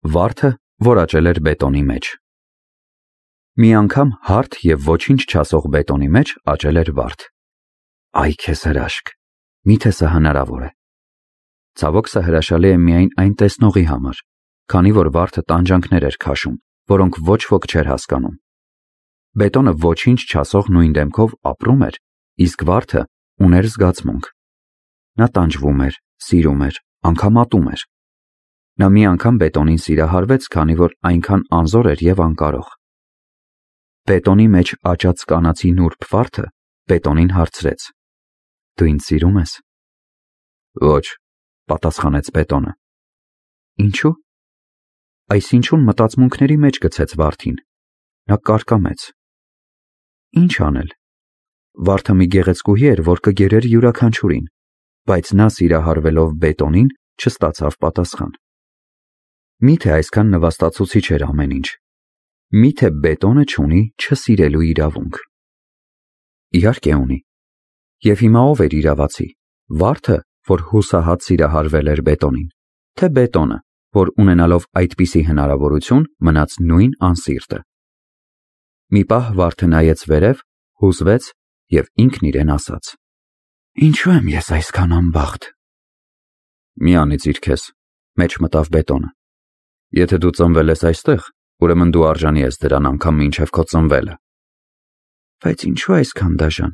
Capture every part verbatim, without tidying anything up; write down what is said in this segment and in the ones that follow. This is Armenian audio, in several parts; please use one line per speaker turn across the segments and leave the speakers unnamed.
Վարդը, որ աճել էր բետոնի մեջ։ Մի անգամ հարթ և ոչինչ չասող բետոնի մեջ աճել էր վարդ։ Այ քեզ հրաշք, միթե սա հնարավոր է։ Ցավոք, սա հրաշալի է միայն այն տեսնողի համար, քանի որ վարդը տանջանքներ էր քաշում, որոնք ոչ ոք չէր հասկանում։ Բետոնը ոչինչ չասող նույն դեմքով ապրում էր, իսկ վարդը ուներ զգացմունք։ Նա տանջվում էր, սիրում էր, անգամ ատում էր։ Նա մի անգամ բետոնին սիրահարվեց, քանի որ այնքան անզոր էր և անկարող։ Բետոնի մեջ աճած կանացի նուրբ վարդը բետոնին հարցրեց. «Դու ինձ սիրում ես»։ «Ոչ», պատասխանեց բետոնը։ «Ինչու»։ Այսինչուն մտածմունքների մեջ գցեց վարդին։ Նա կարկամեց։ Ինչ անել։ Վարդը մի գեղեցկուհի էր, որ կգերեր յուրաքանչյուրին, բայց նա սիրահարվելով բետոնին չստացավ պատասխան։ Միթե այսքան նվաստացուցիչ էր ամեն ինչ։ Միթե բետոնը չունի չսիրելու իրավունք։ Իհարկե ունի։ Եվ հիմա ով էր իրավացի՝ վարդը, որ հուսահատ սիրահարվել էր բետոնին, թե բետոնը, որ ունենալով այդպիսի հնարավորություն մնաց նույն անսիրտը։ Մի պահ վարդը նայեց վերև, հուզվեց և ինքն իրեն ասաց. «Ինչու եմ ես այսքան անբախտ»։ «Մի անիծիր քեզ», մեջ մտավ բետոնը։ «Եթե դու ծնվել ես այստեղ, ուրեմն դու արժանի ես դրան անգամ մինչև քո ծնվելը»։ «Բայց ինչու այսքան դաժան։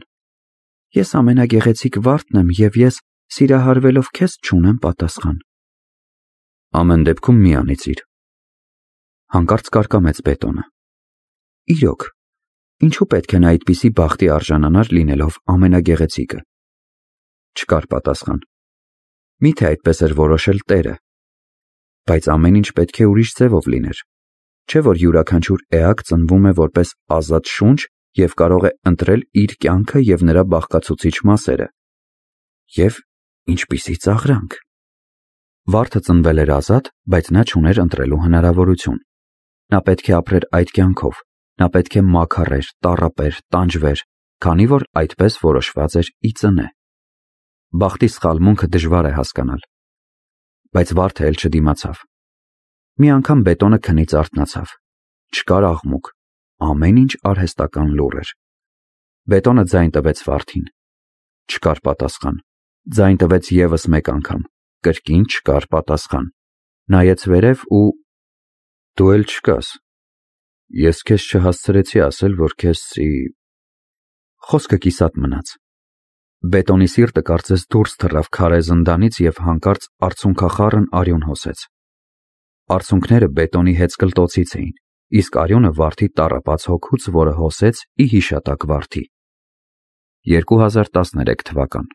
Ես ամենագեղեցիկ վարդն եմ և ես սիրահարվելով քեզ չունեմ պատասխան»։ «Ամեն դեպքում մի անիծիր»։ Հանկարծ կարկամեց բետոնը։ Իրոք, ինչու պետք է նա այդպիսի բախտի արժանանար լինելով ամենագեղեցիկը։ Չկար պատասխան։ Միթե այդպես էր որոշել Տերը։ Բայց ամեն ինչ պետք է ուրիշ ձևով լիներ։ Չէ՞ որ յուրաքանչյուր էակ ծնվում է որպես ազատ շունչ և կարող է ընտրել իր կյանքը և նրա բաղկացուցիչ մասերը։ Եվ ինչպիսի ծաղրանք։ Վարդը ծնվել էր ազատ, բայց նա չուներ ընտրելու հնարավորություն։ Նա պետք է ապրեր այդ կյանքով։ Նա պետք է մաքարեր, տառապեր, տանջվեր, քանի որ այդպես որոշված էր ի ծնե։ Բախտի սխալմունքը դժվար է հասկանալ։ Բայց վարդը էլ չդիմացավ։ Մի անգամ բետոնը քնից արթնացավ։ Չկար աղմուկ։ Ամեն ինչ արհեստական լուռ էր։ Բետոնը ձայն տվեց վարդին։ Չկար պատասխան։ Ձայն տվեց ևս մեկ անգամ։ Կրկին չկար պատասխան։ Նայեց վերև ու… Դու էլ չկաս։ Ես քեզ չհասցրեցի ասել, որ քեզ սի… Խոսքը կիսատ մնաց։ Բետոնի սիրտը կարծես դուրս թռավ քարե զնդանից և հանկարծ արցունքախառն արյուն հոսեց։ Արցունքները բետոնի հեծկլտոցից էին, իսկ արյունը վարդի տառապած հոգուց, որը հոսեց ի հիշատակ վարդի։ երկու հազար տասներեք թվական